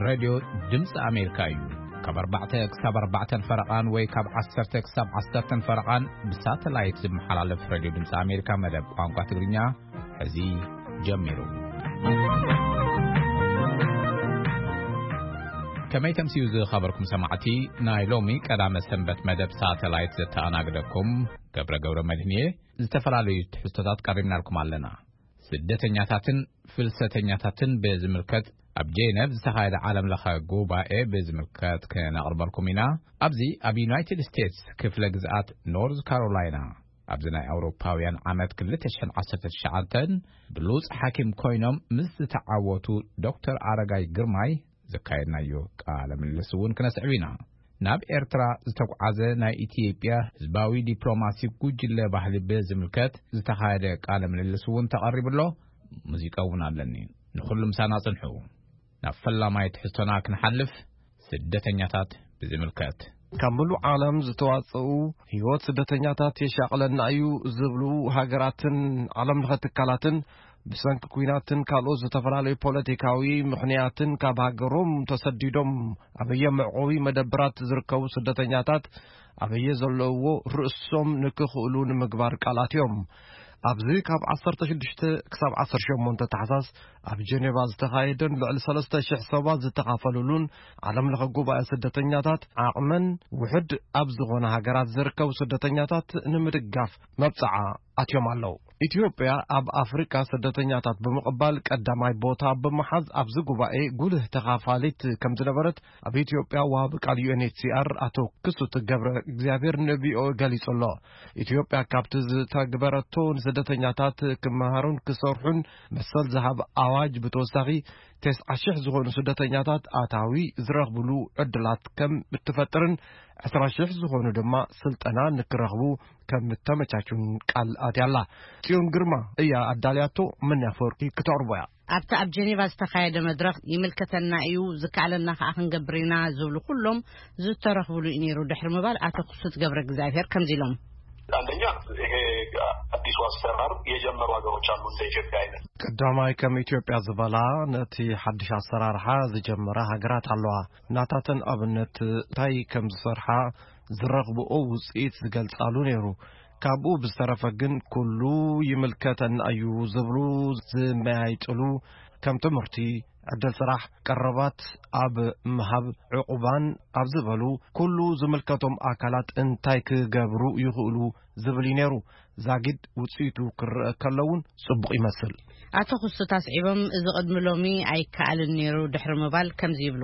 ሬድዮ ድምፂ ኣሜሪካ እዩ። ካብ ኣርባዕተ ክሳብ ኣርባዕተን ፈረቓን ወይ ካብ ዓሰርተ ክሳብ ዓሰርተን ፈረቓን ብሳተላይት ዝመሓላለፍ ሬድዮ ድምፂ ኣሜሪካ መደብ ቋንቋ ትግርኛ ሕዚ ጀሚሩ። ከመይ ተምስዩ ዝኸበርኩም ሰማዕቲ፣ ናይ ሎሚ ቀዳመ ሰንበት መደብ ሳተላይት ዘተኣናግደኩም ገብረ ገብረ መድህን እየ። ዝተፈላለዩ ትሕዝቶታት ቀሪብናልኩም ኣለና። ስደተኛታትን ፍልሰተኛታትን ብዝምልከት ኣብ ጄነቭ ዝተኻየደ ዓለም ለኸ ጉባኤ ብዝምልከት ክነቕርበልኩም ኢና። ኣብዚ ኣብ ዩናይትድ ስቴትስ ክፍለ ግዝኣት ኖርዝ ካሮላይና ኣብዚ ናይ ኣውሮፓውያን ዓመት ክልተ ሽሕን ዓሰርተ ትሽዓተን ብሉጽ ሓኪም ኮይኖም ምስ ዝተዓወቱ ዶክተር ኣረጋይ ግርማይ ዘካየድናዮ ቃለ ምልልስ እውን ክነስዕብ ኢና። ናብ ኤርትራ ዝተጓዓዘ ናይ ኢትዮጵያ ህዝባዊ ዲፕሎማሲ ጉጅለ ባህሊ ብዝምልከት ዝተኻየደ ቃለ ምልልስ እውን ተቐሪቡ ኣሎ። ሙዚቃ እውን ኣለኒ። ንኹሉ ምሳና ጽንሑ። ናብ ፈላማይ ትሕዝቶና ክንሓልፍ፣ ስደተኛታት ብዝምልከት። ካብ ምሉእ ዓለም ዝተዋጽኡ ህይወት ስደተኛታት የሻቕለና እዩ ዝብሉ ሃገራትን ዓለም ለኸ ትካላትን ብሰንኪ ኲናትን ካልኦት ዝተፈላለዩ ፖለቲካዊ ምኽንያትን ካብ ሃገሮም ተሰዲዶም ኣበየ መዕቆቢ መደብራት ዝርከቡ ስደተኛታት ኣበየ ዘለውዎ ርእሶም ንክኽእሉ ንምግባር ቃል ኣትዮም። ኣብዚ ካብ ዓሰርተ ሽዱሽተ ክሳብ ዓሰርተ ሸሞንተ ታሕሳስ ኣብ ጀኔቫ ዝተኻየደን ልዕሊ ሰለስተ ሽሕ ሰባት ዝተኻፈሉሉን ዓለም ለኸ ጉባኤ ስደተኛታት ዓቕመን ውሕድ ኣብ ዝኾነ ሃገራት ዝርከቡ ስደተኛታት ንምድጋፍ መብጽዓ ኣትዮም ኣለዉ። ኢትዮጵያ ኣብ ኣፍሪቃ ስደተኛታት ብምቕባል ቀዳማይ ቦታ ብምሓዝ ኣብዚ ጉባኤ ጉልህ ተኻፋሊት ከም ዝነበረት ኣብ ኢትዮጵያ ወሃቢ ቃል ዩ ኤን ኤች ሲ ኣር ኣቶ ክሱት ገብረ እግዚኣብሔር ን ቪ ኦ ኤ ገሊጹ ኣሎ። ኢትዮጵያ ካብቲ ዝተግበረቶ ንስደተኛታት ክመሃሩን ክሰርሑን መሰል ዝሃብ ኣዋጅ ብተወሳኺ ተስዓ ሽሕ ዝኾኑ ስደተኛታት ኣታዊ ዝረኽብሉ ዕድላት ከም እትፈጥርን ዕስራ ሽሕ ዝኾኑ ድማ ስልጠና ንክረኽቡ ከም እተመቻቹን ቃል ኣትያ ኣላ። ጽዮን ግርማ እያ ኣዳልያቶ፣ መን ኣፈወርቂ ክተቕርቦ እያ። ኣብቲ ኣብ ጀኔቫ ዝተኻየደ መድረኽ ይምልከተና እዩ፣ ዝከኣለና ከኣ ክንገብር ኢና ዝብሉ ኩሎም ዝተረኽብሉ እዩ ነይሩ ድሕሪ ምባል ኣቶ ክሱት ገብረ እግዚኣብሔር ከምዚ ኢሎም። አንደኛ ይሄ አዲሱ አሰራር የጀመሩ ሀገሮች አሉ እንደ ኢትዮጵያ አይነት። ቀዳማይ ከም ኢትዮጵያ ዝበላ ነቲ ሓድሽ ኣሰራርሓ ዝጀመራ ሃገራት ኣለዋ። ናታተን ኣብነት እንታይ ከም ዝሰርሓ ዝረኽብኦ ውጽኢት ዝገልጻሉ ነይሩ። ካብኡ ብዝተረፈ ግን ኩሉ ይምልከተና እዩ ዝብሉ ዝመያይጥሉ ከም ትምህርቲ፣ ዕድል ስራሕ፣ ቀረባት ኣብ ምሃብ ዕቑባን ኣብ ዝበሉ ኩሉ ዝምልከቶም ኣካላት እንታይ ክገብሩ ይኽእሉ ዝብል እዩ ነይሩ። ዛጊድ ውጽኢቱ ክረአ ከሎ እውን ጽቡቕ ይመስል። ኣቶ ክሱት ኣስዒቦም፣ እዚ ቅድሚ ሎሚ ኣይከኣልን ነይሩ ድሕሪ ምባል ከምዚ ይብሉ።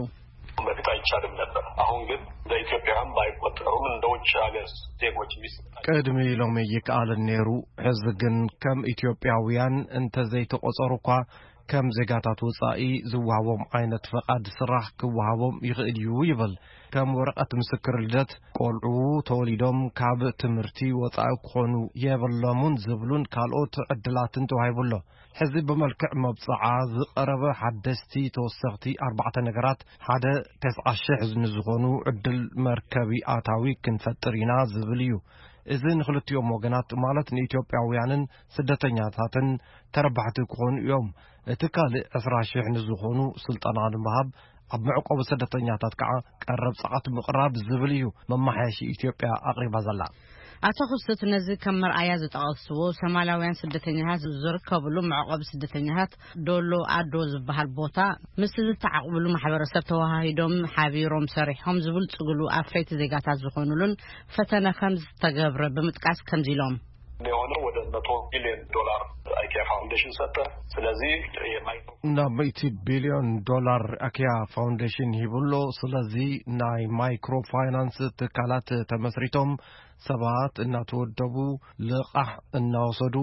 በፊት አይቻልም ነበር። አሁን ግን እንደ ኢትዮጵያውያን ባይቆጠሩም እንደ ውጭ ሀገር ዜጎች የሚሰጣቸው ቅድሚ ሎሚ ይከኣልን ነይሩ። ሕዚ ግን ከም ኢትዮጵያውያን እንተዘይተቆጸሩ እኳ ከም ዜጋታት ወጻኢ ዝወሃቦም ዓይነት ፈቓድ ስራሕ ክወሃቦም ይኽእል እዩ ይብል። ከም ወረቐት ምስክር ልደት፣ ቆልዑ ተወሊዶም ካብ ትምህርቲ ወጻኢ ክኾኑ የብሎምን ዝብሉን ካልኦት ዕድላትን ተዋሂቡ ኣሎ። ሕዚ ብመልክዕ መብጽዓ ዝቐረበ ሓደስቲ ተወሰኽቲ ኣርባዕተ ነገራት፣ ሓደ፣ ተስዓ ሽሕ ንዝኾኑ ዕድል መርከቢ ኣታዊ ክንፈጥር ኢና ዝብል እዩ። እዚ ንኽልቲኦም ወገናት፣ ማለት ንኢትዮጵያውያንን ስደተኛታትን ተረባሕቲ ክኾኑ እዮም። እቲ ካልእ ዕስራ ሽሕ ንዝኾኑ ስልጠና ንምሃብ፣ ኣብ መዕቆቢ ስደተኛታት ከዓ ቀረብ ጸዓት ምቕራብ ዝብል እዩ መመሓየሺ ኢትዮጵያ ኣቕሪባ ዘላ። ኣቶ ክሱት ነዚ ከም መርኣያ ዝጠቐስዎ፣ ሶማላውያን ስደተኛታት ዝርከብሉ መዕቆቢ ስደተኛታት ዶሎ ኣዶ ዝበሃል ቦታ፣ ምስ ዝተዓቕብሉ ማሕበረሰብ ተወሃሂዶም ሓቢሮም ሰሪሖም ዝብልጽግሉ ኣፍረይቲ ዜጋታት ዝኾኑሉን ፈተነ ከም ዝተገብረ ብምጥቃስ ከምዚ ኢሎም። የሆነው ወደ መቶ ቢሊዮን ዶላር አይኪያ ፋውንዴሽን ሰጠ። ስለዚህ የማይክሮ ናብ ሚእቲ ቢልዮን ዶላር ኣኪያ ፋውንዴሽን ሂቡ ኣሎ። ስለዚ ናይ ማይክሮ ፋይናንስ ትካላት ተመስሪቶም፣ ሰባት እናተወደቡ፣ ልቓሕ እናወሰዱ፣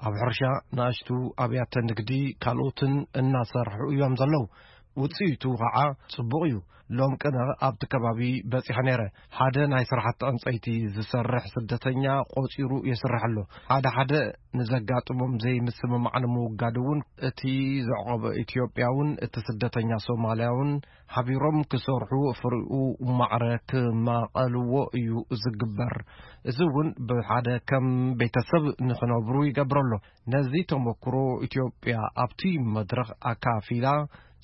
ኣብ ሕርሻ፣ ንኣሽቱ ኣብያተ ንግዲ፣ ካልኦትን እናሰርሑ እዮም ዘለዉ። ውጽኢቱ ኸዓ ጽቡቕ እዩ። ሎም ቅነ ኣብቲ ከባቢ በጺሐ ነይረ። ሓደ ናይ ስራሕቲ ዕንጸይቲ ዝሰርሕ ስደተኛ ቆጺሩ የስርሕ ኣሎ። ሓደ ሓደ ንዘጋጥሞም ዘይምስምማዕ ንምውጋድ እውን እቲ ዘዕቆበ ኢትዮጵያውን እቲ ስደተኛ ሶማልያውን ሓቢሮም ክሰርሑ ፍሪኡ ማዕረ ክማቐልዎ እዩ ዝግበር። እዚ እውን ብሓደ ከም ቤተሰብ ንኽነብሩ ይገብር ኣሎ። ነዚ ተመክሮ ኢትዮጵያ ኣብቲ መድረኽ ኣካፊላ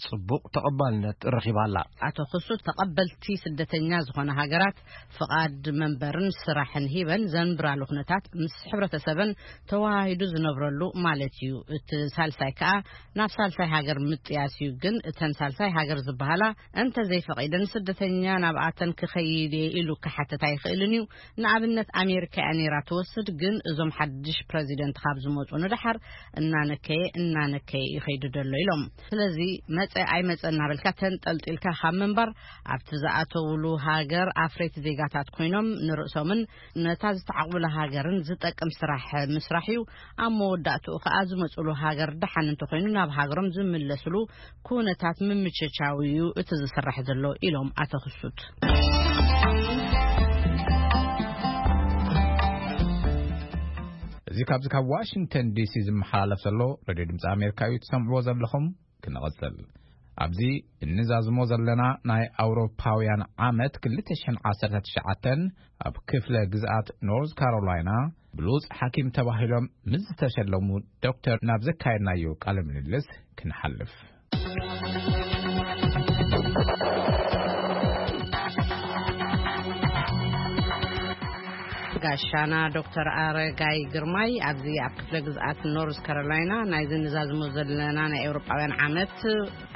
ጽቡቕ ተቐባልነት ረኺባ ኣላ። ኣቶ ክሱት፣ ተቐበልቲ ስደተኛ ዝኾነ ሃገራት ፍቓድ መንበርን ስራሕን ሂበን ዘንብራሉ ኩነታት ምስ ሕብረተሰበን ተወሃሂዱ ዝነብረሉ ማለት እዩ። እቲ ሳልሳይ ከኣ ናብ ሳልሳይ ሃገር ምጥያስ እዩ። ግን እተን ሳልሳይ ሃገር ዝበሃላ እንተ ዘይፈቒደን፣ ስደተኛ ናብኣተን ክኸይድ እየ ኢሉ ክሓትት ኣይኽእልን እዩ። ንኣብነት ኣሜሪካ እያ ነይራ ትወስድ፣ ግን እዞም ሓድሽ ፕረዚደንት ካብ ዝመጹ ንደሓር እናነከየ እናነከየ ይኸይዱ ደሎ ኢሎም። ስለዚ መጸ ኣይመጸ እናበልካ ተንጠልጢልካ ካብ ምንባር፣ ኣብቲ ዝኣተውሉ ሃገር ኣፍረይቲ ዜጋታት ኮይኖም ንርእሶምን ነታ ዝተዓቕቡላ ሃገርን ዝጠቅም ስራሕ ምስራሕ እዩ። ኣብ መወዳእትኡ ከኣ ዝመጹሉ ሃገር ደሓን እንተኾይኑ ናብ ሃገሮም ዝምለስሉ ኩነታት ምምችቻው እዩ እቲ ዝስራሕ ዘሎ ኢሎም ኣቶ ክሱት። እዚ ካብዚ ካብ ዋሽንግተን ዲሲ ዝመሓላለፍ ዘሎ ሬድዮ ድምፂ ኣሜሪካ እዩ ትሰምዕዎ ዘለኹም። ክንቐጽል። ኣብዚ እንዛዝሞ ዘለና ናይ ኣውሮፓውያን ዓመት ክልተ ሽሕን ዓሰርተ ትሽዓተን ኣብ ክፍለ ግዝኣት ኖርዝ ካሮላይና ብሉጽ ሓኪም ተባሂሎም ምስ ዝተሸለሙ ዶክተር ናብ ዘካየድናዮ ቃለ ምልልስ ክንሓልፍ። ጋሻና ዶክተር ኣረጋይ ግርማይ ኣብዚ ኣብ ክፍለ ግዝኣት ኖርዝ ካሮላይና ናይ ዝንዛዝሞ ዘለና ናይ ኤውሮጳውያን ዓመት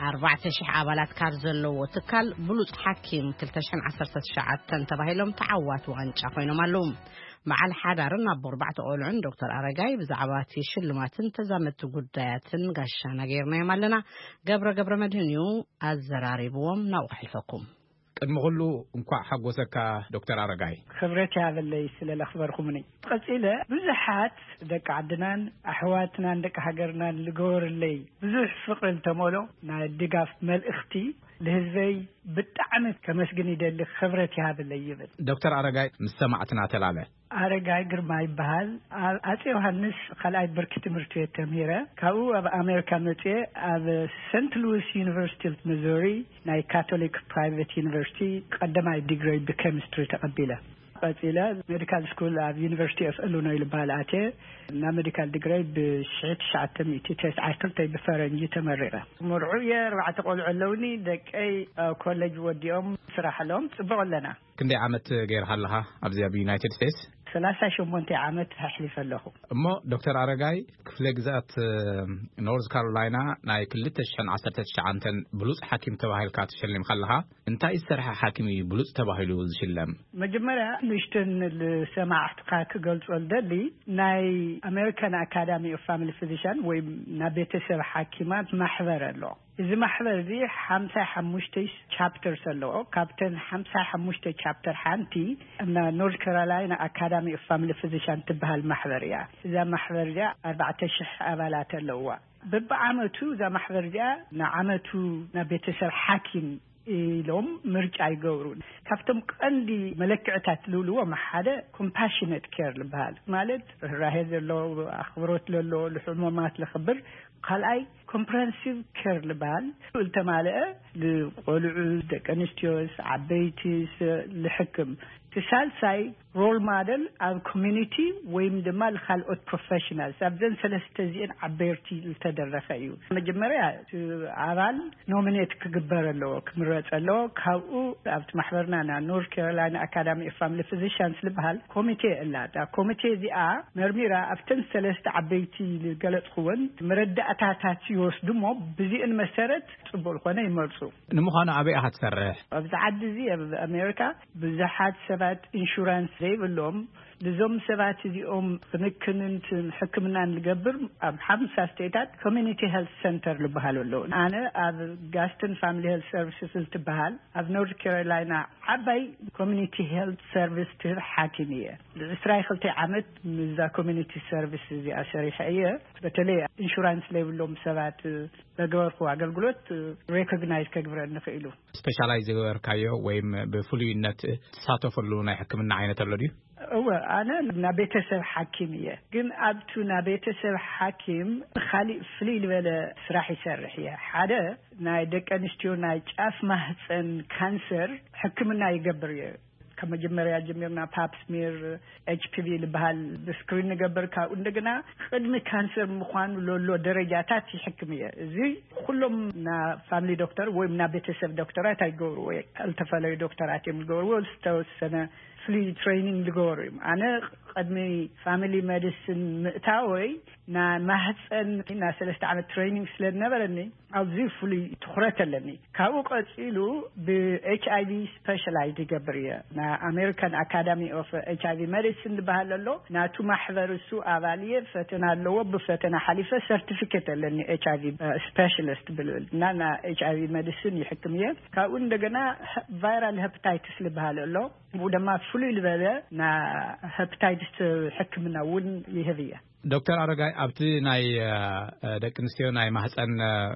ኣርባዕተ ሽሕ ኣባላት ካብ ዘለዎ ትካል ብሉጽ ሓኪም ክልተ ሽሕን ዓሰርተ ትሽዓተን ተባሂሎም ተዓዋቲ ዋንጫ ኮይኖም ኣለዉ። በዓል ሓዳርን ኣቦ ኣርባዕተ ቆልዑን ዶክተር ኣረጋይ ብዛዕባ እቲ ሽልማትን ተዛመድቲ ጉዳያትን ጋሻና ገይርናዮም ኣለና። ገብረ ገብረ መድህን እዩ ኣዘራሪብዎም። ናብኡ ከሕልፈኩም። ቅድሚ ኩሉ እንኳዕ ሓጎሰካ ዶክተር ኣረጋይ። ክብረት ይሃበለይ ስለ ለኽበርኩምኒ። ቀጺለ ብዙሓት ደቂ ዓድናን ኣሕዋትናን ደቂ ሃገርናን ልገበርለይ ብዙሕ ፍቕሪ ልተመሎ ናይ ድጋፍ መልእኽቲ ልህዝበይ ብጣዕሚ ከመስግን ይደሊ። ክብረት ይሃበለይ ይብል። ዶክተር ኣረጋይ ምስ ሰማዕትና ተላለ። ኣረጋይ ግርማ ይበሃል። ኣብ ኣጼ ዮሃንስ ካልኣይ ብርኪ ትምህርቲ ቤት ተምሂረ። ካብኡ ኣብ ኣሜሪካ መጽየ ኣብ ሰንት ሉዊስ ዩኒቨርሲቲ ኦፍ ሚዙሪ ናይ ካቶሊክ ፕራይቬት ዩኒቨርሲቲ ቀዳማይ ዲግሪ ብኬሚስትሪ ተቐቢለ። ቀጺለ ሜዲካል ስኩል ኣብ ዩኒቨርሲቲ ኦፍ ኢሊኖይ ልበሃል ኣትየ። ናብ ሜዲካል ዲግሪ ብሽሕቲ ትሽዓተ ሚእቲ ተስዓን ክልተን ብፈረንጂ ተመሪቐ። መርዑ እየ፣ ኣርባዕተ ቆልዑ ኣለውኒ። ደቀይ ኣብ ኮሌጅ ወዲኦም ስራሕ ኣለዎም። ጽቡቕ ኣለና። ክንደይ ዓመት ገይርካ ኣለኻ ኣብዚ ኣብ ዩናይትድ ስቴትስ? ሰላሳ ሸሞንተ ዓመት ኣሕሊፈ ኣለኹ። እሞ ዶክተር ኣረጋይ፣ ክፍለ ግዝኣት ኖርዝ ካሮላይና ናይ ክልተ ሽሕን ዓሰርተ ትሽዓተን ብሉጽ ሓኪም ተባሂልካ ተሸሊምካ ኣለኻ። እንታይ ዝሰርሐ ሓኪም እዩ ብሉጽ ተባሂሉ ዝሽለም? መጀመርያ ንእሽተን ንሰማዕትኻ ክገልጾ ዝደሊ፣ ናይ ኣሜሪካን ኣካዳሚ ኦፍ ፋሚሊ ፊዚሽን ወይ ናይ ቤተሰብ ሓኪማት ማሕበር ኣሎ። እዚ ማሕበር እዚ ሓምሳ ሓሙሽተ ቻፕተርስ ኣለዎ። ካብተን ሓምሳ ሓሙሽተ ቻፕተር ሓንቲ እና ኖርዝ ካሮላይና ኣካዳሚ ኦፍ ፋሚሊ ፊዚሽን ትበሃል ማሕበር እያ። እዛ ማሕበር እዚኣ ኣርባዕተ ሽሕ ኣባላት ኣለዋ። በብዓመቱ እዛ ማሕበር እዚኣ ንዓመቱ ናብ ቤተሰብ ሓኪም ኢሎም ምርጫ ይገብሩ። ካብቶም ቀንዲ መለክዕታት ዝብልዎም ሓደ ኮምፓሽነት ኬር ዝበሃል፣ ማለት ርህራሄ ዘሎ፣ ኣኽብሮት ለሎ፣ ልሕሙማት ለኽብር። ካልኣይ ኮምፕረሄንሲቭ ኬር ዝበሃል ልተማልአ፣ ልቆልዑ፣ ደቂ ኣንስትዮስ፣ ዓበይቲስ ልሕክም። እቲ ሳልሳይ ሮል ማደል ኣብ ኮሚኒቲ ወይም ድማ ልካልኦት ፕሮፌሽናልስ፣ ኣብዘን ሰለስተ እዚአን ዓበርቲ ዝተደረኸ እዩ። መጀመርያ እቲ ኣባል ኖሚኔት ክግበር ኣለዎ፣ ክምረጽ ኣለዎ። ካብኡ ኣብቲ ማሕበርና ና ኖርዝ ካሮላይና ኣካዳሚ ኦፍ ፋሚሊ ፊዚሽንስ ዝበሃል ኮሚቴ ኣላ። እታ ኮሚቴ እዚኣ መርሚራ ኣብተን ሰለስተ ዓበይቲ ዝገለጽኩወን መረዳእታታት ይወስዱ እሞ ብዚአን መሰረት ጽቡቕ ዝኾነ ይመርጹ። ንምዃኑ ኣበይ ኢኻ ትሰርሕ? ኣብዚ ዓዲ እዚ ኣብ ኣሜሪካ ብዙሓት ሰባት ኢንሹራንስ ዘይብሎም፣ ንዞም ሰባት እዚኦም ክንክንን ሕክምናን ዝገብር ኣብ ሓምሳ ስቴታት ኮሚኒቲ ሄልት ሰንተር ዝበሃሉ ኣለዉ። ኣነ ኣብ ጋስተን ፋሚሊ ሄልት ሰርቪስስ እንትበሃል ኣብ ኖርዝ ካሮላይና ዓባይ ኮሚኒቲ ሄልት ሰርቪስ ትህብ ሓኪም እየ። ዕስራ ክልተ ዓመት ምስዛ ኮሚኒቲ ሰርቪስ እዚኣ ሰሪሐ እየ። በተለይ ኢንሹራንስ ዘይብሎም ሰባት በገበርኩ ኣገልግሎት ሬኮግናይዝ ከግብረኒ ክኢሉ። ስፔሻላይዝ ዝገበርካዮ ወይም ብፍሉይነት ትሳተፈሉ ናይ ሕክምና ዓይነት ኣሎ ድዩ? እወ፣ ኣነ ናብ ቤተሰብ ሓኪም እየ። ግን ኣብቱ ናብ ቤተሰብ ሓኪም ካሊእ ፍልይ ዝበለ ስራሕ ይሰርሕ እየ። ሓደ ናይ ደቂ ኣንስትዮ ናይ ጫፍ ማህፀን ካንሰር ሕክምና ይገብር እየ። ካብ መጀመርያ ጀሚርና ፓፕ ስሚር፣ ኤች ፒ ቪ ዝበሃል ብስክሪን ንገብር። ካብኡ እንደገና ቅድሚ ካንሰር ምዃኑ ለሎ ደረጃታት ይሕክም እየ። እዚ ኩሎም ና ፋሚሊ ዶክተር ወይም ና ቤተሰብ ዶክተራት ኣይገብርዎ፣ ዝተፈለዩ ዶክተራት እዮም ዝገብርዎ። ዝተወሰነ ፍሊ ትሬኒንግ ዝገበሩ እዮም። ኣነ ቅድሚ ፋሚሊ ሜዲሲን ምእታወይ ና ማህፀን ና ሰለስተ ዓመት ትሬኒንግ ስለ ዝነበረኒ ኣብዚ ፍሉይ ትኹረት ኣለኒ። ካብኡ ቀፂሉ ብ ኤች ኣይ ቪ ስፔሻላይዝ ይገብር እየ። ና ኣሜሪካን ኣካዳሚ ኦፍ ኤች ኣይ ቪ ሜዲሲን ዝበሃል ኣሎ። ናቱ ማሕበር እሱ ኣባል እየ። ፈተና ኣለዎ። ብፈተና ሓሊፈ ሰርቲፊኬት ኣለኒ ኤች ኣይ ቪ ስፔሻሊስት ብልብል እና ና ኤች ኣይ ቪ ሜዲሲን ይሕክም እየ። ካብኡ እንደገና ቫይራል ሄፓታይትስ ዝበሃል ኣሎ። ብኡ ድማ ፍሉይ ዝበለ ና ሄፓታይትስ ሕክምና እውን ይህብ እየ። ዶክተር ኣረጋይ፣ ኣብቲ ናይ ደቂ ኣንስትዮ ናይ ማህፀን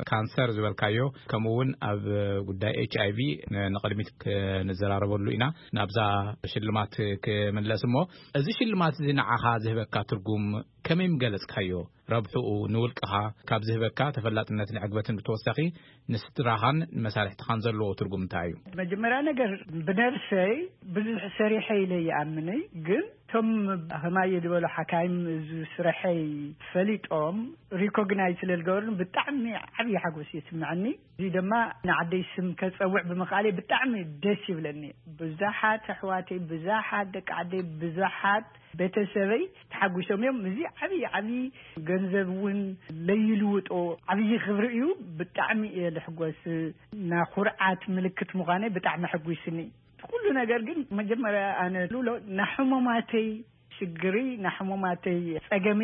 ካንሰር ዝበልካዮ፣ ከምኡ እውን ኣብ ጉዳይ ኤች ኣይ ቪ ንቅድሚት ክንዘራረበሉ ኢና። ናብዛ ሽልማት ክምለስ እሞ፣ እዚ ሽልማት እዚ ንዓኻ ዝህበካ ትርጉም ከመይ ምገለጽካዮ? ረብሕኡ ንውልቅኻ ካብ ዝህበካ ተፈላጥነትን ዕግበትን ብተወሳኺ ንስድራኻን ንመሳርሕትኻን ዘለዎ ትርጉም እንታይ እዩ? መጀመርያ ነገር፣ ብነብሰይ ብዙሕ ሰሪሐ ኢለ ይኣምንይ፣ ግን እቶም ከማየ ዝበሉ ሓካይም እዚ ስረሐይ ፈሊጦም ሪኮግናይዝ ስለ ዝገበሩን ብጣዕሚ ዓብዪ ሓጎስ ይስምዐኒ። እዚ ድማ ንዓደይ ስም ከጸውዕ ብምኽኣለይ ብጣዕሚ ደስ ይብለኒ። ብዙሓት ኣሕዋተይ፣ ብዙሓት ደቂ ዓደይ፣ ብዙሓት ቤተሰበይ ተሓጒሶም እዮም። እዚ ዓብዪ ዓብዪ ገንዘብ እውን ለይልውጦ ዓብዪ ክብሪ እዩ። ብጣዕሚ እየ ልሕጎስ። ናኹርዓት ምልክት ምዃነይ ብጣዕሚ ኣሐጒስኒ። ኩሉ ነገር ግን መጀመርያ ኣነ ልብሎ ናሕሙማተይ ሽግሪ፣ ናሕሙማተይ ጸገሚ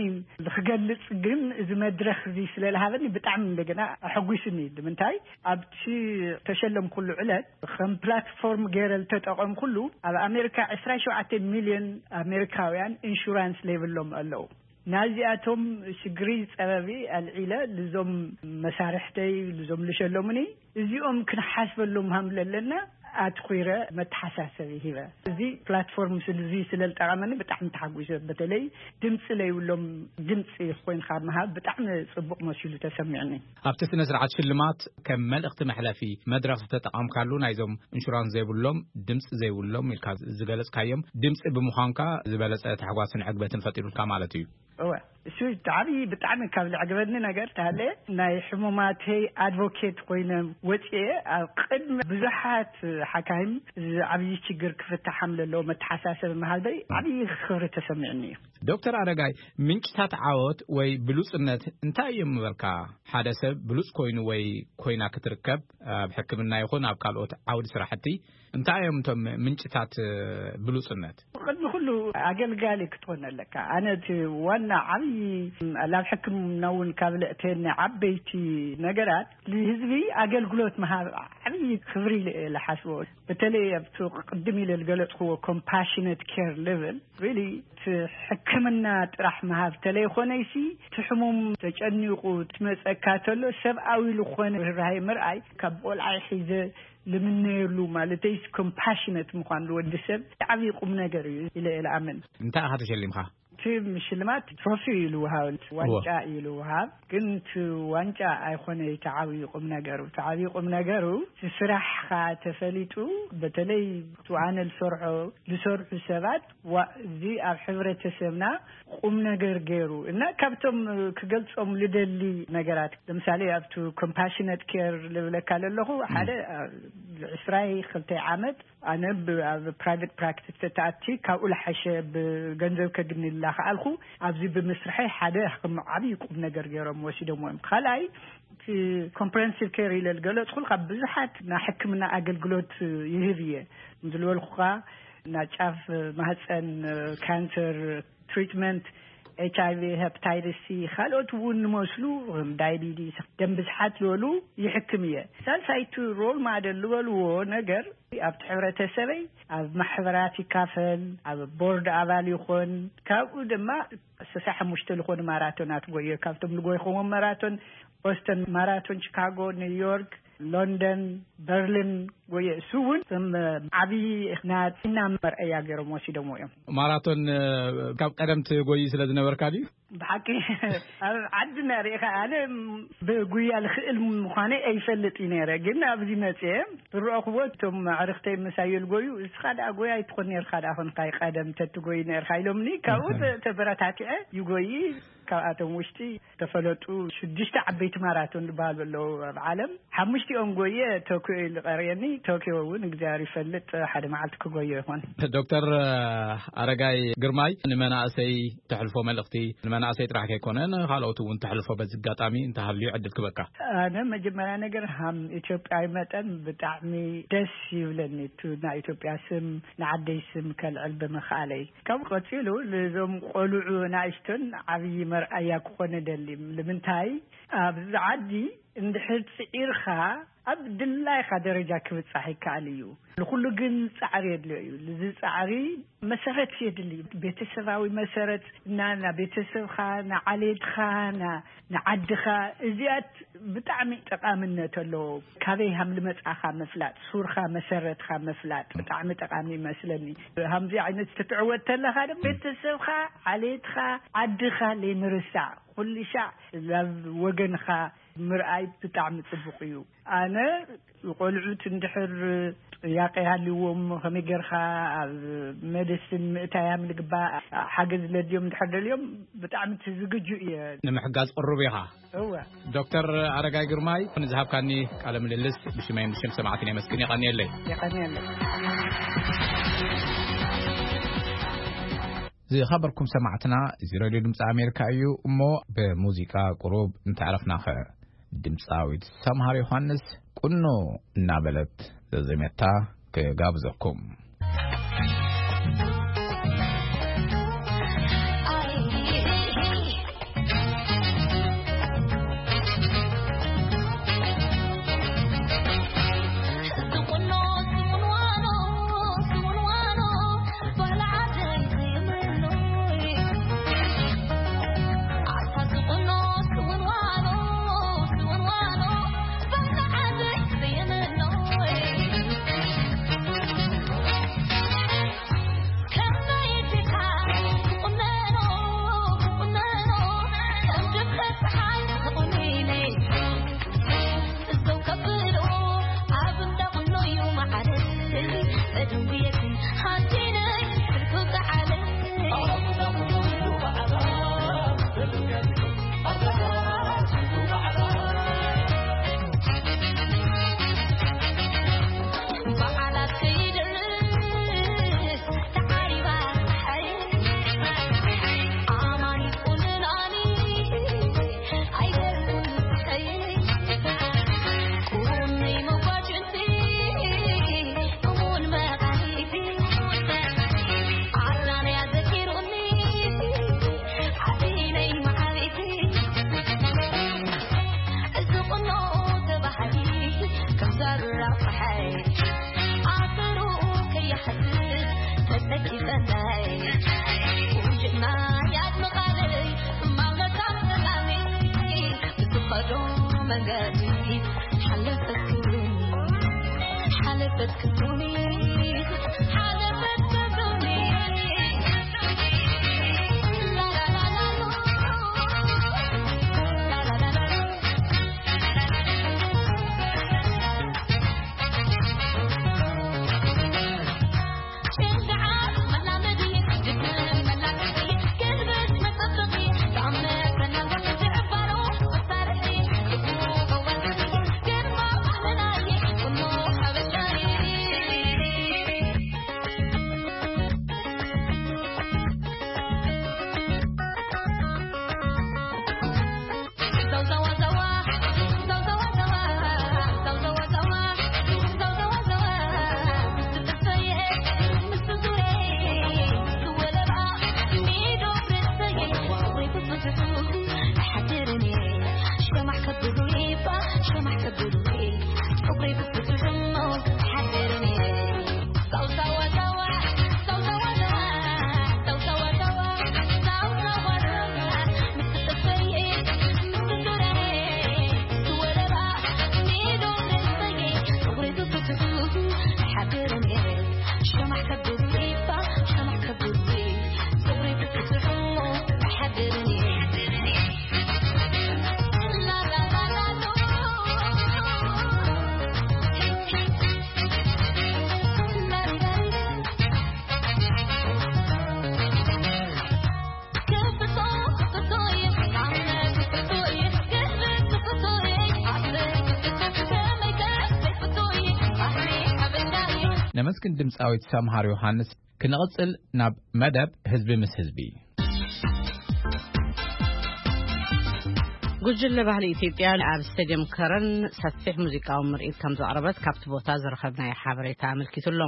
ክገልጽ ግን እዚ መድረኽ እዚ ስለ ዝሃበኒ ብጣዕሚ እንደገና ኣሐጒስኒ። ንምንታይ ኣብቲ ተሸለምኩሉ ዕለት ከም ፕላትፎርም ገይረ ዝተጠቐምኩሉ ኣብ ኣሜሪካ ዕስራ ሸውዓተ ሚልዮን ኣሜሪካውያን ኢንሹራንስ ዘይብሎም ኣለዉ። ናዚኣቶም ሽግሪ ጸበቢ ኣልዒለ ልዞም መሳርሕተይ ልዞም ልሸለሙኒ እዚኦም ክንሓስበሎም ሃም ለለና ኣትኩረ መተሓሳሰቢ ሂበ። እዚ ፕላትፎርም ስልዚ ስለ ዝጠቐመኒ ብጣዕሚ ተሓጒሰ። በተለይ ድምፂ ለይብሎም ድምፂ ኮይንካ ምሃብ ብጣዕሚ ጽቡቕ መሲሉ ተሰሚዕኒ። ኣብቲ ስነ ስርዓት ሽልማት ከም መልእኽቲ መሕለፊ መድረኽ ዝተጠቐምካሉ ናይዞም ኢንሹራንስ ዘይብሎም ድምፂ ዘይብሎም ኢልካ ዝገለጽካዮም ድምፂ ብምዃንካ ዝበለጸ ታሕጓስን ዕግበትን ፈጢሩልካ ማለት እዩ። እወ፣ እሱ ዓብዪ ብጣዕሚ ካብ ዘዕግበኒ ነገር ተሃለ ናይ ሕሙማተይ ኣድቮኬት ኮይነ ወፅኤ ኣብ ቅድሚ ብዙሓት ሓካይም እዚ ዓብዪ ችግር ክፍታሓም ዘለዎ መተሓሳሰቢ መሃልበይ ዓብዪ ክብሪ ተሰሚዕኒ እዩ። ዶክተር ኣረጋይ፣ ምንጭታት ዓወት ወይ ብሉጽነት እንታይ እዮም ምበልካ? ሓደ ሰብ ብሉጽ ኮይኑ ወይ ኮይና ክትርከብ ኣብ ሕክምና ይኹን ኣብ ካልኦት ዓውዲ ስራሕቲ እንታይ እዮም እቶም ምንጭታት ብሉጽነት? ቅድሚ ኩሉ ኣገልጋሊ ክትኾን ኣለካ። ኣነ እቲ ዋና ዓብዪ ናብ ሕክምና እውን ካብ ለእተኒ ዓበይቲ ነገራት ንህዝቢ ኣገልግሎት ምሃብ ዓብዪ ክብሪ ኢለ እየ ዝሓስቦ። በተለይ ኣብቲ ቅድም ኢለ ዝገለጽክዎ ኮምፓሽነት ኬር ሌቨል ሪሊ እቲ ሕክምና ጥራሕ ምሃብ ተለይኮነይሲ እቲ ሕሙም ተጨኒቑ ትመፀካ ተሎ ሰብኣዊ ዝኾነ ርህራሄ ምርኣይ ካብ ቆልዓይ ሒዘ ልምነየሉ ማለተይስ ኮምፓሽነት ምዃን ዝወዲ ሰብ ዓብዪ ቁም ነገር እዩ ኢለ እየ ዝኣምን። እንታይ ኢኻ ተሸሊምካ? እቲ ሽልማት ትሮፊ እዩ ልውሃብ፣ ዋንጫ እዩ ልውሃብ። ግን እቲ ዋንጫ ኣይኮነ እቲ ዓብዪ ቁም ነገሩ። እቲ ዓብዪ ቁም ነገሩ እቲ ስራሕኻ ተፈሊጡ በተለይ እቲ ኣነ ዝሰርሖ ዝሰርሑ ሰባት ዋ እዚ ኣብ ሕብረተሰብና ቁም ነገር ገይሩ እና ካብቶም ክገልጾም ልደሊ ነገራት ለምሳሌ ኣብቲ ኮምፓሽነት ኬር ልብለካ ለለኹ ሓደ ዕስራይ ክልተ ዓመት ኣነ ኣብ ፕራይቬት ፕራክቲስ ተተኣቲ ካብኡ ልሓሸ ብገንዘብ ከግንላ ከኣልኩ ኣብዚ ብምስርሐ ሓደ ከም ዓብዪ ቁም ነገር ገይሮም ወሲዶም እዮም። ካልኣይ እቲ ኮምፕረንሲቭ ኬር ኢለ ዝገለፅኩ ካብ ብዙሓት ናይ ሕክምና ኣገልግሎት ይህብ እየ ዝልበልኩካ ናይ ጫፍ ማህፀን ካንሰር ትሪትመንት ኤች ኣይ ቪ ሄፓታይተስ ሲ ካልኦት እውን ንመስሉ ዳይቢቲስ ደም ብዝሓት ዝበሉ ይሕክም እየ። ሳልሳይቲ ሮል ማደል ዝበልዎ ነገር ኣብቲ ሕብረተሰበይ ኣብ ማሕበራት ይካፈል፣ ኣብ ቦርድ ኣባል ይኾን። ካብኡ ድማ ስሳ ሓሙሽተ ዝኾኑ ማራቶናት ጎየ። ካብቶም ዝጎይኹዎም ማራቶን ቦስተን ማራቶን፣ ቺካጎ፣ ኒውዮርክ፣ ሎንደን፣ በርሊን ጎየ። እሱ እውን ከም ዓብዪ ናይ ጥዕና መርኣያ ገይሮም ወሲዶምዎ እዮም። ማራቶን፣ እ፣ ካብ ቀደም ትጎዪ ስለ ዝነበርካ ድዩ? ብሓቂ ኣብ ዓድና ርኢኻ፣ ኣነ ብጉያ ልኽእል ምዃነይ ኣይፈልጥ እዩ ነይረ፣ ግን ኣብዚ መፅየ ዝረእኽዎ እቶም ኣዕርኽተይ ምሳይ ልጎዩ፣ "እስኻ ደኣ ጎያ ኣይትኾን ነርካ ደኣ፣ ኾንካ ቀደም ተትጎይ ነርካ" ኢሎምኒ። ካብኡ እህ። ተ-፣ ተበረታቲዐ ይጎይ። ካብኣቶም ውሽጢ ዝተፈለጡ ሽዱሽተ ዓበይቲ ማራቶን ዝበሃሉ ኣለዉ ኣብ ዓለም። ሓሙሽቲኦም ጎየ፣ ቶክዮ ኢሉ ቀርየኒ። ቶክዮ እውን እግዚኣብሔር ይፈልጥ፣ ሓደ መዓልቲ ክጎዮ ይኾን። ዶክተር ኣረጋይ ግርማይ፣ ንመናእሰይ ተሕልፎ መልእኽቲ፣ ንመናእሰይ ጥራሕ ከይኮነ ንኻልኦት እውን ተሕልፎ በዚ ኣጋጣሚ እንተሃልዩ ዕድል ክበካ። ኣነ መጀመርያ ነገር ሃም ኢትዮጵያዊ መጠን ብጣዕሚ ደስ ይብለኒ። እቱ ናይ ኢትዮጵያ ስም፣ ንዓደይ ስም ከልዕል ብምኽኣለይ። ካብ ቀጺሉ፣ ልዞም ቆልዑ ናእሽቶን ዓብዪ መርኣያ ክኾነ ደሊ። ልምንታይ? ኣብዚ ዓዲ እንድሕር ጽዒርካ፣ ኣብ ድላይካ ደረጃ ክብጻሕ ይከኣል እዩ። ንኹሉ ግን ጻዕሪ የድልዮ እዩ። ልዚ ጻዕሪ መሰረት የድሊ። ቤተሰባዊ መሰረት፣ እና፣ ና ቤተሰብካ፣ ንዓሌትካ፣ ና፣ ንዓድኻ፣ እዚኣት ብጣዕሚ ጠቓምነት ኣለዎ። ካበይ ሃም ልመጻኻ ምፍላጥ፣ ሱርካ፣ መሰረትካ ምፍላጥ ብጣዕሚ ጠቓሚ ይመስለኒ። ሃምዚ ዓይነት ትትዕወት ተለኻ ድማ ቤተሰብካ፣ ዓሌትካ፣ ዓድኻ ለይምርሳዕ፣ ኩሉ ሻዕ ናብ ወገንኻ ምርኣይ ብጣዕሚ ጽቡቕ እዩ። ኣነ ቆልዑት እንድሕር ጥያቄ ሃልዎም፣ ከመይ ጌርካ ኣብ ሜዲሲን ምእታያም ልግባእ፣ ሓገዝ ለድዮም እንድሕር ደልዮም፣ ብጣዕሚ እቲ ዝግጁ እየ። ንምሕጋዝ ቅሩብ ኢኻ። እወ። ዶክተር ኣረጋይ ግርማይ፣ ንዝሃብካኒ ቃለ ምልልስ ብሽመይን ብሽም ሰማዕትን የመስግን። የቐንየለይ። የቐንየለይ። ዝኸበርኩም ሰማዕትና፣ እዚ ሬድዮ ድምፂ ኣሜሪካ እዩ። እሞ ብሙዚቃ ቁሩብ እንተዕረፍናኸ፣ ድምፃዊት ሰምሃር ዮሃንስ ቁኖ እናበለት ዘዜመታ ክጋብዘኩም። መስኪን ድምፃዊት ሰምሃር ዮሃንስ። ክንቕፅል ናብ መደብ ህዝቢ ምስ ህዝቢ። ጉጅለ ባህሊ ኢትዮጵያ ኣብ ስቴድየም ከረን ሰፊሕ ሙዚቃዊ ምርኢት ከም ዘቕረበት ካብቲ ቦታ ዝረኸብናዮ ሓበሬታ ኣመልኪቱ ኣሎ።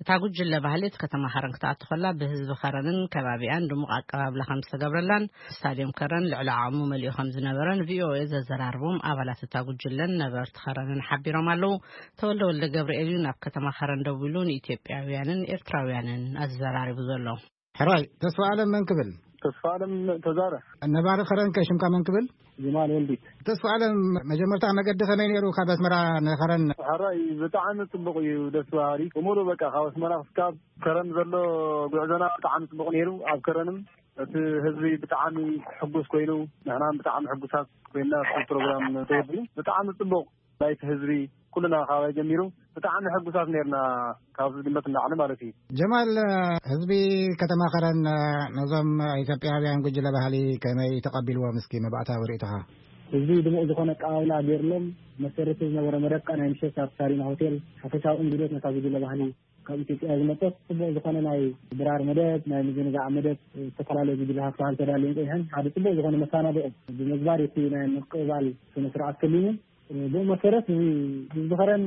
እታ ጉጅለ ባህሊ እቲ ከተማ ከረን ክትኣቱ ከላ ብህዝቢ ከረንን ከባቢኣን ድሙቕ ኣቀባብላ ከም ዝተገብረላን ስታድየም ከረን ልዕሊ ዓቕሙ መሊኡ ከም ዝነበረን ቪኦኤ ዘዘራርቦም ኣባላት እታ ጉጅለን ነበርቲ ከረንን ሓቢሮም ኣለዉ። ተወልደ ወልደ ገብርኤል እዩ ናብ ከተማ ከረን ደዊሉ ንኢትዮጵያውያንን ኤርትራውያንን ኣዘራሪቡ ዘሎ። ሕራይ ተስፋ ኣለም መን ክብል? ተስፋ ኣለም ተዛረ። ነባሪ ከረን ከ ሽምካ መን ክብል? ጀማል ወልዲት። ተስፋ ኣለም፣ መጀመርታ መገዲ ከመይ ነይሩ ካብ ኣስመራ ንኸረን? ሕራይ ብጣዕሚ ጽቡቕ እዩ፣ ደስ በሃሊ። ብምሉእ በቃ ካብ ኣስመራ ክሳብ ከረን ዘሎ ጉዕዞና ብጣዕሚ ጽቡቕ ነይሩ። ኣብ ከረንም እቲ ህዝቢ ብጣዕሚ ሕጉስ ኮይኑ፣ ንሕና ብጣዕሚ ሕጉሳት ኮይና እቲ ፕሮግራም ተወዲኡ። ብጣዕሚ ጽቡቕ ናይቲ ህዝቢ ኩልና ካባይ ጀሚሩ ብጣዕሚ ሕጉሳት ነርና። ካብ ዝግመት ንላዕሊ ማለት እዩ። ጀማል፣ ህዝቢ ከተማ ከረን ነዞም ኢትዮጵያውያን ጉጅለ ባህሊ ከመይ ተቐቢልዎም? እስኪ መባእታዊ ርእይቶኻ። ህዝቢ ድሙቕ ዝኾነ ኣቀባብላ ገይርሎም። መሰረት ዝነበረ መደብ ከኣ ናይ ምሸት ኣብ ሳሪና ሆቴል ሓፈሻዊ እንግዶት ነታ ጉጅለ ባህሊ ካብ ኢትዮጵያ ዝመጸት ጽቡቕ ዝኾነ ናይ ድራር መደብ፣ ናይ ምዝንጋዕ መደብ፣ ዝተፈላለዩ ጉጅለታት ባህሊ ተዳልየን ጸኒሐን ሓደ ጽቡቕ ዝኾነ መሰናድኦ ብምግባር እቲ ናይ ምቅባል ስነ ስርዓት ከሊሙ። ብኡ መሰረት እዚ ህዝቢ ከረን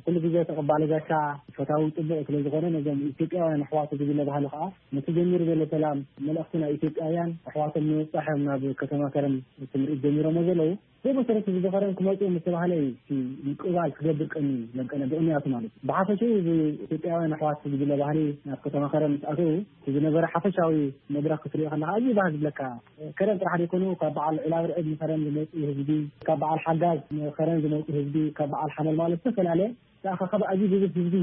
ኩሉ ግዜ ተቐባሊ ጋሻ፣ ፈታዊ ጽቡቕ ስለ ዝኾነ ነዞም ኢትዮጵያውያን ኣሕዋቱ ጉጅለ ባህሊ ከኣ ነቲ ጀሚሩ ዘሎ ሰላም መልእኽቲ ናይ ኢትዮጵያውያን ኣሕዋቶም ንምብጻሕ እዮም ናብ ከተማ ከረን እቲ ምርኢት ጀሚሮሞ ዘለዉ። ብኡ መሰረት ህዝቢ ከረን ክመጹ ምስ ተባህለ እዩ እቲ ምቅባል ክገብር ቀኒ ለንቀነ ብቕንያቱ ማለት እዩ። ብሓፈሽኡ እዚ ኢትዮጵያውያን ኣሕዋት ጉጅለ ባህሊ ናብ ከተማ ከረን ምስ ኣተዉ እቲ ዝነበረ ሓፈሻዊ መድረኽ ክትሪኦ ከለኻ ኣዝዩ ባህ ዝብለካ። ከረን ጥራሕ ዘይኮኑ ካብ በዓል ዒላብርዕድ ንከረን ዝመጹ ህዝቢ፣ ካብ በዓል ሓጋዝ ንከረን ዝመጹ ህዝቢ፣ ካብ በዓል ሓመል ማለት ዝተፈላለየ ተኣኻኸብ ኣዝዩ ብዙሕ ህዝቢ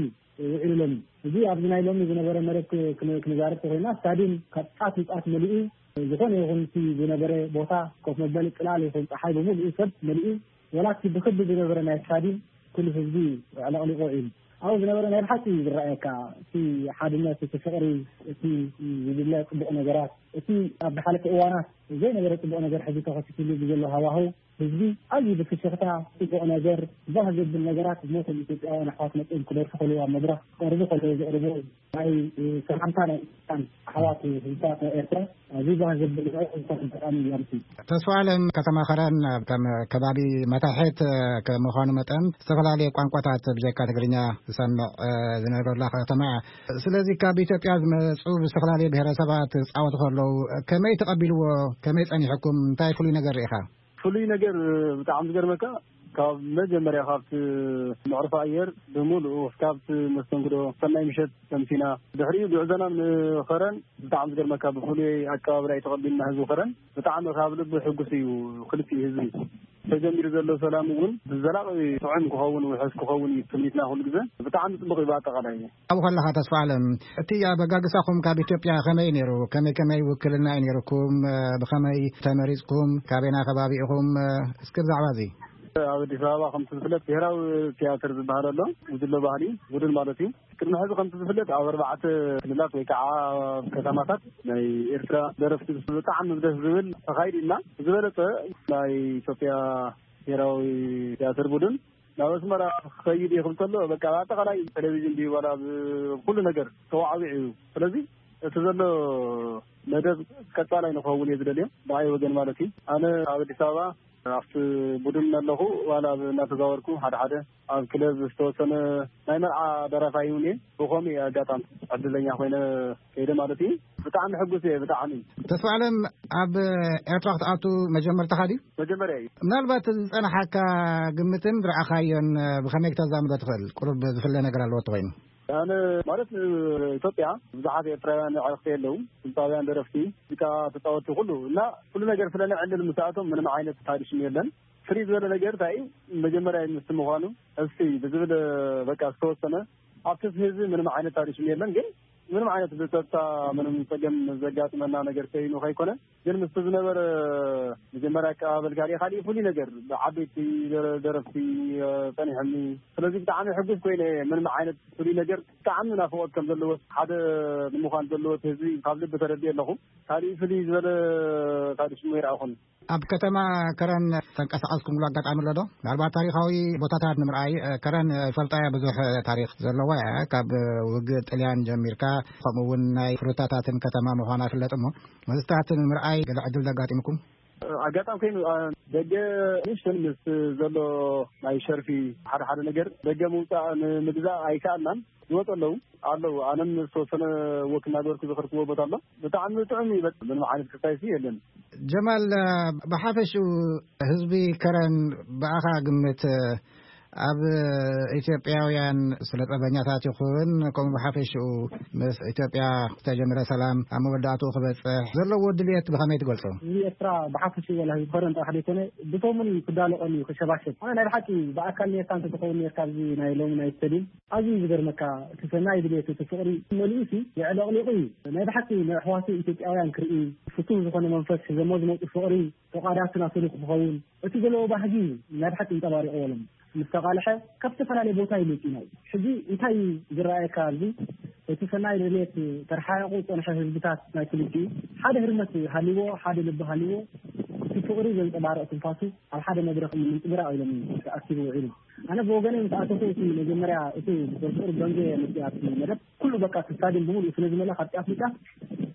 ውዒሉ ሎሚ። እዚ ኣብዚ ናይ ሎሚ ዝነበረ መደብ ክ-፣ ክን-፣ ክንዛረብ ተኾይና ስታድዩም ካብ ጫፍ ንጫፍ መሊኡ፣ ዝኾነ ይኹን እቲ ዝነበረ ቦታ ኮፍ መበሊ ጽላል ይኹን ጸሓይ ብምሉኡ ሰብ መሊኡ፣ ወላ እቲ ብክቢ ዝነበረ ናይ ስታድዩም ኩሉ ህዝቢ ኣዕለቕሊቑ ውዒሉ። ኣብኡ ዝነበረ ናይ ብሓቂ እዩ ዝረኣየካ እቲ ሓድነት፣ እቲ ፍቕሪ፣ እቲ ዝድለ ጽቡቕ ነገራት፣ እቲ ኣብ ዝሓለፈ እዋናት ዘይነበረ ጽቡቕ ነገር ሕዚ ተኸሲትሉ ብዘሎ ሃዋህው ህዝቢ ኣዝዩ ብፍሽኽታ ጽቡቕ ነገር፣ ባህ ዘብል ነገራት ነቶም ኢትዮጵያውያን ኣሕዋት መጺኦም ክደርፉ ከለዉ፣ ኣብ መድረኽ ክቐርቡ ከለዉ ዘቕርቡ ናይ ሰላምታ ናይ ኢትዮጵያን ኣሕዋት ህዝብታት ናይ ኤርትራ ኣዝዩ ባህ ዘብል እዩ። ብጣዕሚ እዩ። ተስፋ ኣለም፣ ከተማ ከረን ከም ከባቢ መታሕት ከምዃኑ መጠን ዝተፈላለየ ቋንቋታት ብጀካ ትግርኛ ዝሰምዕ ዝነብረላ ከተማ እያ። ስለዚ ካብ ኢትዮጵያ ዝመጹ ብዝተፈላለየ ብሔረሰባት ዝጻወቱ ከለዉ ከመይ ተቐቢልዎ? ከመይ ጸኒሕኩም? እንታይ ፍሉይ ነገር ርኢኻ? ፍሉይ ነገር ብጣዕሚ ዝገርመካ ካብ መጀመርያ ካብቲ መዕርፎ ኣየር ብምሉኡ ካብቲ መስተንግዶ ሰናይ ምሸት ሰምሲና ድሕሪኡ ጉዕዞና ንኸረን ብጣዕሚ ዝገርመካ ብፍሉይ ኣቀባብላ እዩ ተቐቢልና ህዝቢ ከረን። ብጣዕሚ ካብ ልቢ ሕጉስ እዩ ክልቲኡ ህዝቢ። ተጀሚሩ ዘሎ ሰላም እውን ብዘላቒ ጥዑም ክኸውን ውሑስ ክኸውን እዩ ትምኒትና ኩሉ ግዜ። ብጣዕሚ ጽቡቕ እዩ ብኣጠቓላይ። ኣብኡ ከለኻ ተስፋ ኣለም፣ እቲ ኣበጋግሳኹም ካብ ኢትዮጵያ ከመይ ነይሩ? ከመይ ከመይ ውክልና እዩ ነይርኩም? ብኸመይ ተመሪጽኩም? ካበየና ከባቢ ኢኹም? እስኪ ብዛዕባ እዚ። ኣብ ኣዲስ ኣበባ ከምቲ ዝፍለጥ ብሄራዊ ቲያትር ዝበሃል ኣሎ፣ ጉጅለ ባህሊ ቡድን ማለት እዩ። ቅድሚ ሕዚ ከምቲ ዝፍለጥ ኣብ ኣርባዕተ ክልላት ወይ ከዓ ኣብ ከተማታት ናይ ኤርትራ ደረፍቲ ብጣዕሚ ደስ ዝብል ተኻይዱ እና ዝበለጸ ናይ ኢትዮጵያ ብሄራዊ ቲያትር ቡድን ናብ ኣስመራ ክኸይድ ይኽእል ከሎ በቃ ኣጠቓላይ ቴሌቪዥን ድዩ ዋላ ብ-፣ ኩሉ ነገር ተዋዕዊዑ እዩ። ስለዚ እቲ ዘሎ መደብ ቀጻላይ ንክኸውን እየ ዝደልዮ ብኣይ ወገን ማለት እዩ። ኣነ ኣብ ኣዲስ ኣበባ ኣብቲ ቡድን ኣለኹ ዋላ ኣብ እናተዛወርኩ ሓደ ሓደ ኣብ ክለብ ዝተወሰነ ናይ መርዓ ደራፋይ እውን እየ። ብኸምኡ እየ ኣጋጣሚ ዕድለኛ ኮይነ ከይደ ማለት እዩ። ብጣዕሚ ሕጉስ እየ ብጣዕሚ። ተስፋ ኣለም ኣብ ኤርትራ ክትኣቱ መጀመርታኻ ድዩ? መጀመርያ እዩ። ምናልባት ዝጸንሓካ ግምትን ዝረኣኻዮን ብኸመይ ክተዛምዶ ትኽእል? ቁሩብ ዝፍለ ነገር ኣለዎ ተኾይኑ። ኣነ ማለት ኢትዮጵያ ብዙሓት ኤርትራውያን ኣዕርኽቲ ኣለዉ፣ ድምፃውያን ደረፍቲ ሙዚቃ ተፃወትቲ ኩሉ እና ኩሉ ነገር ስለ ንዕልል ምስኣቶም ምንም ዓይነት ታዲሽም የለን። ፍልይ ዝበለ ነገር እንታይ እዩ? መጀመርያ ምስቲ ምዃኑ እስቲ ብዝብል በቃ ዝተወሰነ ኣብቲ ህዝቢ ምንም ዓይነት ታዲሽም የለን፣ ግን ምንም ዓይነት ብፀጥታ ምንም ፀገም ዘጋጥመና ነገር ከይኑ ከይኮነ ግን ምስቲ ዝነበረ መጀመርያ ኣቀባበል ካልእ ካልእ ፍሉይ ነገር ብዓበይቲ ደረ-፣ ደረፍቲ ጸኒሖምኒ። ስለዚ ብጣዕሚ ሕጉስ ኮይነ ምንም ዓይነት ፍሉይ ነገር ብጣዕሚ ናፍቖት ከም ዘለዎ ሓደ ንምዃን ዘለዎ ህዝቢ ካብ ልቢ ተረዲኤ ኣለኹ። ካልእ ፍሉይ ዝበለ ካልእ ሽሙ ይረኣኹን። ኣብ ከተማ ከረን ተንቀሳቐስኩምሉ ኣጋጣሚ ኣሎ ዶ? ምናልባት ታሪኻዊ ቦታታት ንምርኣይ፣ እ፣ ከረን፣ እ፣ ፈልጣያ ብዙሕ፣ እ፣ ታሪኽ ዘለዋ እያ። ካብ፣ እ፣ ውግእ ጥልያን ጀሚርካ፣ ከምኡ እውን ናይ ፍሩታታትን ከተማ ምዃና ይፍለጥ እሞ፣ ምስታት ንምርኣይ ገለ ዕድል ዘጋጢምኩም? ኣጋጣሚ ኮይኑ፣ እ፣ ደገ ንእሽተን ምስ ዘሎ ናይ ሸርፊ ሓደ ሓደ ነገር ደገ ምውፃእ ንምግዛእ ኣይከኣልናን። ይወፁ ኣለዉ። ኣለዉ። ኣነም ዝተወሰነ ወክ እናገበርኩ ዝኸድክዎ ቦታ ኣሎ። ብጣዕሚ ጥዑም እዩ። በቃ ምንም ዓይነት ክስታይ ሲ የለን። ጀማል፣ ብሓፈሽኡ ህዝቢ ከረን ብኣኻ ግምት ኣብ ኢትዮጵያውያን ስለ ጸበኛታት ይኹን ከምኡ ብሓፈሽኡ ምስ ኢትዮጵያ ዝተጀመረ ሰላም ኣብ መወዳእትኡ ክበጽሕ ዘለዎ ድልየት ብኸመይ ትገልጾ? ህዝቢ ኤርትራ ብሓፈሽኡ ወላ ህዝቢ ከረን ጥራሕ ዘይኮነ ብቶም እውን ክዳለቐሉ እዩ፣ ክሸባሸብ። ኣነ ናይ ብሓቂ ብኣካል ኔርካ እንተትኸውን ኔርካ ኣብዚ ናይ ሎሚ ናይ ስቴድዩም ኣዝዩ ዝገርመካ፣ እቲ ሰናይ ድሌት፣ እቲ ፍቕሪ መሊኡሲ የዕለቕሊቑ እዩ። ናይ ብሓቂ ንኣሕዋቱ ኢትዮጵያውያን ክርኢ፣ ፍቱህ ዝኾነ መንፈስ ሒዞሞ ዝመጹ ፍቕሪ፣ ፈቓዳት ናቱ ክኸውን፣ እቲ ዘለዎ ባህጊ ናይ ብሓቂ እንጸባሪቕዎ ኣሎ። ምስ ተቓልሐ ካብ ዝተፈላለየ ቦታ እዩ መጺኡ። ሕጂ እንታይ እዩ ዝረኣየካ ኣብዚ? እቲ ሰናይ ድሌት ተረሓሒቑ ዝጸንሐ ህዝብታት ናይ ክልቲኡ ሓደ ህርመት ሃልዎ፣ ሓደ ልቢ ሃልዎ፣ እቲ ፍቕሪ ዘንጸባርቕ ትንፋሱ ኣብ ሓደ መድረኽ ምንጽብራቕ ኢሎም ተኣኪቡ ውዒሉ። ኣነ ብወገነይ ምስ ኣተኹ እቲ መጀመርያ እቲ ብቁርቁር ደንገ መጽእ ኣብቲ መደብ ኩሉ በቃ እቲ ስታድዮም ብምሉኡ ስለ ዝመልኣ ካብቲ ኣፍልጣ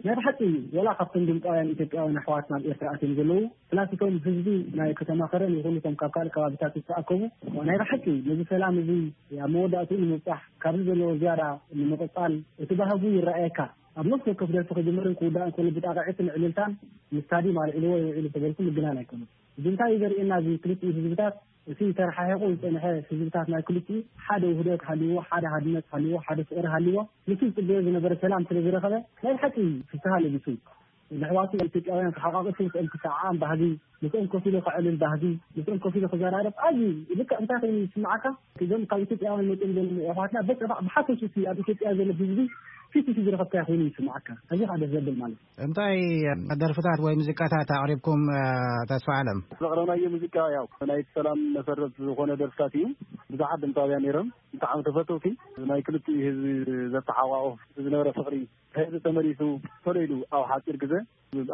ናይ ብሓቂ ወላ ካብቶም ድምፃውያን ኢትዮጵያውያን ኣሕዋት ናብ ኤርትራ ኣትዮም ዘለዉ ፕላስ እቶም ህዝቢ ናይ ከተማ ከረን ይኹን እቶም ካብ ካልእ ከባቢታት ዝተኣከቡ ናይ ብሓቂ ነዚ ሰላም እዚ ኣብ መወዳእትኡ ንምብፃሕ ካብዚ ዘለዎ ዝያዳ ንምቕፃል እቲ ባህጉ ይረኣየካ። ኣብ ነፍሲ ወከፍ ደርፊ ክጅምርን ክውዳእን ከሎ ብጣቕዒትን ዕልልታን ንስታድዮም ኣልዒልዎ ይውዒሉ ተበልኩ ምግናን ኣይኮነን። እዚ እንታይ እዩ ዘርእየና? እዚ ክልቲኡ ህዝብታት፣ እቲ ተረሓሒቑ ዝጸንሐ ህዝብታት ናይ ክልቲኡ ሓደ ውህደት ሃልዎ፣ ሓደ ሃድነት ሃልዎ፣ ሓደ ፍቕሪ ሃልዎ፣ ምስቲ ዝጽበዮ ዝነበረ ሰላም ስለ ዝረኸበ ናይ ብሓቂ ፍስሃ ለቢሱ። ንኣሕዋቱ ኢትዮጵያውያን ክሓቋቕፍ፣ ምስኦም ክሰዓዓም ባህጊ፣ ምስኦም ኮፍ ኢሉ ከዕልል ባህጊ፣ ምስኦም ኮፍ ኢሉ ክዘራረብ ኣዝዩ ልክዕ እንታይ ኮይኑ ይስምዓካ? እዞም ካብ ኢትዮጵያውያን መጺኦም ዘለዉ ኣሕዋትና በቃ ብሓፈሽኡ እቲ ኣብ ኢትዮጵያ ዘሎ ህዝቢ ፊት ንፊት ዝረኸብካዮ ኮይኑ ይስምዓካ። እዚ ከዓ ደስ ዘብል ማለት እዩ። እንታይ ደርፍታት ወይ ሙዚቃታት ኣቕሪብኩም፣ እ፣ ተስፋ ዓለም? ዘቕረብናዮ ሙዚቃ ያው ናይ ሰላም መሰረት ዝኾነ ደርፍታት እዩ። ብዙሓት ድምፃውያን ነይሮም። ብጣዕሚ ተፈተውቲ። ናይ ክልቲኡ ህዝቢ ዘተሓቋቑፍ ዝነበረ ፍቕሪ፣ ህዝቢ ተመሊሱ ቶሎ ኢሉ ኣብ ሓፂር ግዜ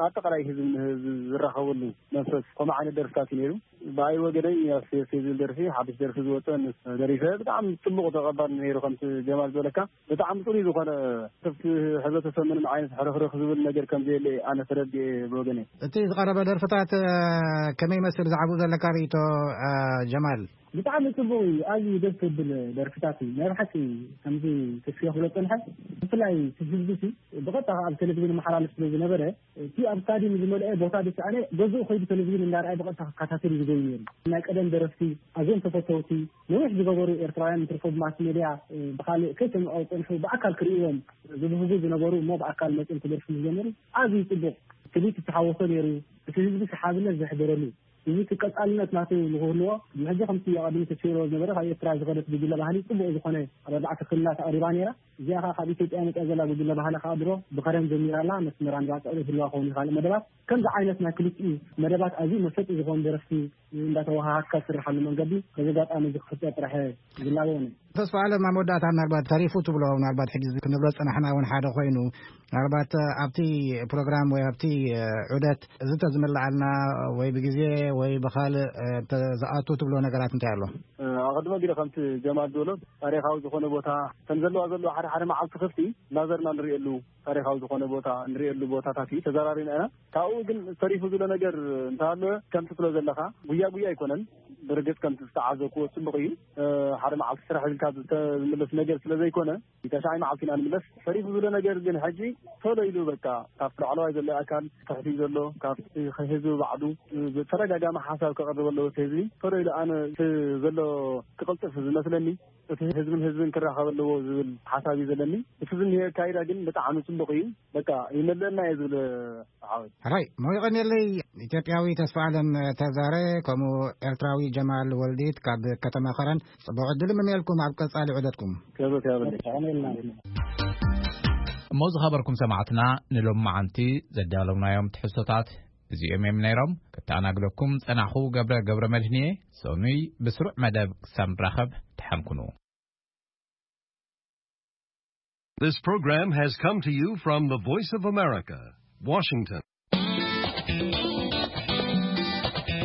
ኣጠቓላይ ህዝቢ ንህዝቢ ዝራኸበሉ መንፈስ ከምኡ ዓይነት ደርፍታት እዩ ነይሩ። ብኣይ ወገነይ ያሴ ዝብል ደርፊ፣ ሓድሽ ደርፊ ዝወፀ ምስ ደሪፈ ብጣዕሚ ፅቡቕ ተቐባል ነይሩ። ከምቲ ጀማል ዝበለካ ብጣዕሚ ፅሩይ ዝኾነ ክፍቲ ሕብረተሰብ ምንም ዓይነት ሕርኽርኽ ዝብል ነገር ከም ዘየለ ኣነ ተረዲኤ ብወገነይ። እቲ ዝቐረበ ደርፍታት፣ እ፣ ከመይ ይመስል ዝዓብኡ ዘለካ ርእይቶ፣ እ፣ ጀማል? ብጣዕሚ ጽቡቕ እዩ። ኣዝዩ ደስ ዘብል ደርፍታት እዩ። ናይ ብሓቂ ከምዚ ተስፍዮ ክብሎ ጸንሐ። ብፍላይ እቲ ህዝቢ ሲ ብቐጥታ ኣብ ቴሌቪዥን መሓላልፍ ስለ ዝነበረ፣ እቲ ኣብ ስታድዩም ዝመልአ ቦታ ዝሰኣነ ገዝኡ ከይዱ ቴሌቪዥን እንዳረኣየ ብቐጥታ ክከታተል እዩ ዝገዩ ነይሩ። ናይ ቀደም ደረፍቲ ኣዝዮም ተፈተውቲ፣ ነዊሕ ዝገበሩ ኤርትራውያን እንትርፎ ብማስ ሜድያ፣ እ፣ ብኻልእ ከይሰምዑ ዝጸንሑ ብኣካል ክርእይዎም ዝብህጉ ዝነበሩ እሞ ብኣካል መጺኦም ክደርፉ ዝጀመሩ ኣዝዩ ጽቡቕ ትርኢት ዝተሓወሶ ነይሩ። እቲ ህዝቢ ሓድነት ዘሕደረሉ፣ እዚ እቲ ቀጻልነት ናቱ ንክህልዎ፣ ሕጂ ከምቲ ኣቐዲሙ ተሰይርዎ ዝነበረ ካብ ኤርትራ ዝኸደት ጉጅለ ባህሊ ጽቡቕ ዝኾነ ኣብ ኣርባዕተ ክልላት ኣቕሪባ ነይራ። እዚኣ ኸኣ ካብ ኢትዮጵያ መጽያ ዘላ ጉጅለ ባህሊ ኸኣ ድሮ ብኸረን ጀሚራ ኣላ። መስመራ ንባጽዕ ህልዋ ክኸውን ይኽእል መደባት። ከምዚ ዓይነት ናይ ክልቲኡ መደባት ኣዝዩ መሰጢ ዝኾኑ ደረፍቲ እንዳተወሃሃድካ ዝስርሓሉ መንገዲ በዚ ኣጋጣሚ እዚ ክፍጠር ጥራሕ ዝላበዎ ነይሩ። ተስፋ ኣለም፣ ኣብ መወዳእታ ምናልባት ተሪፉ ትብሎ፣ ምናልባት ሕጂ ክንብሎ ዝጸናሕና እውን ሓደ ኮይኑ፣ ምናልባት ኣብቲ ፕሮግራም ወይ ኣብቲ ዑደት እዚ ተዝምልዓልና ወይ ብግዜ ወይ ብኻልእ፣ እ፣ ተ-፣ ዝኣቱ ትብሎ ነገራት እንታይ ኣሎ? እ፣ ኣቐድሞ ጊዜ ከምቲ ጀማል ዝበሎ ታሪኻዊ ዝኾነ ቦታ ከም ዘለዋ ዘለዋ ሓደ ሓደ መዓልቲ ክፍቲ እናዘርና ንርእየሉ ታሪኻዊ ዝኾነ ቦታ ንርእየሉ ቦታታት እዩ ተዘራሪብና ኢና። ካብኡ ግን ተሪፉ ዝብሎ ነገር እንተሃለወ ከምቲ ትብሎ ዘለኻ ጉያ ጉያ ኣይኮነን። ብርግጽ ከምቲ ዝተዓዘብክዎ ጽቡቕ እዩ። እ፣ ሓደ መዓልቲ ስራሕ ኢልካ ዝተምለስ ነገር ስለ ዘይኮነ፣ ተሻዓይ መዓልቲ ኢና ንምለስ። ተሪፉ ዝብሎ ነገር ግን ሕጂ ቶሎ ኢሉ በቃ ካብቲ ላዕለዋይ ዘሎ ኣካል ትሕቲ ዘሎ ካብቲ ህዝቢ ባዕሉ ብተደጋጋሚ ሓሳብ ከቕርብ ኣለዎ። እቲ ህዝቢ ቶሎ ኢሉ ኣነ እቲ ዘሎ ክቕልጥፍ ዝመስለኒ እቲ ህዝብን ህዝብን ክራኸብ ኣለዎ ዝብል ሓሳብ እዩ ዘለኒ። እቲ ዝኒሄ ኣካይዳ ግን ብጣዕሚ ጽቡቕ እዩ። በቃ ይመልአልና እየ ዝብል ሓወይ። ሕራይ፣ ሞይቐኒለይ። ኢትዮጵያዊ ተስፋ ኣለም ተዛረ፣ ከምኡ ኤርትራዊ ጀማል ወልዲት ካብ ከተማ ኸረን፣ ጽቡቕ ዕድል እምነየልኩም ኣብ ቀጻሊ ዑደትኩም። ክብረት ያብለይ። እሞ ዝኸበርኩም ሰማዕትና፣ ንሎሚ መዓንቲ ዘዳለውናዮም ትሕዝቶታት እዚኦም እዮም ነይሮም። ክተኣናግደኩም ጸናኹ ገብረ ገብረ መድህንየ። ሰኑይ ብስሩዕ መደብ ክሳብ ንራኸብ ተሓምኩኑ። This program has come to you from the Voice of America, Washington.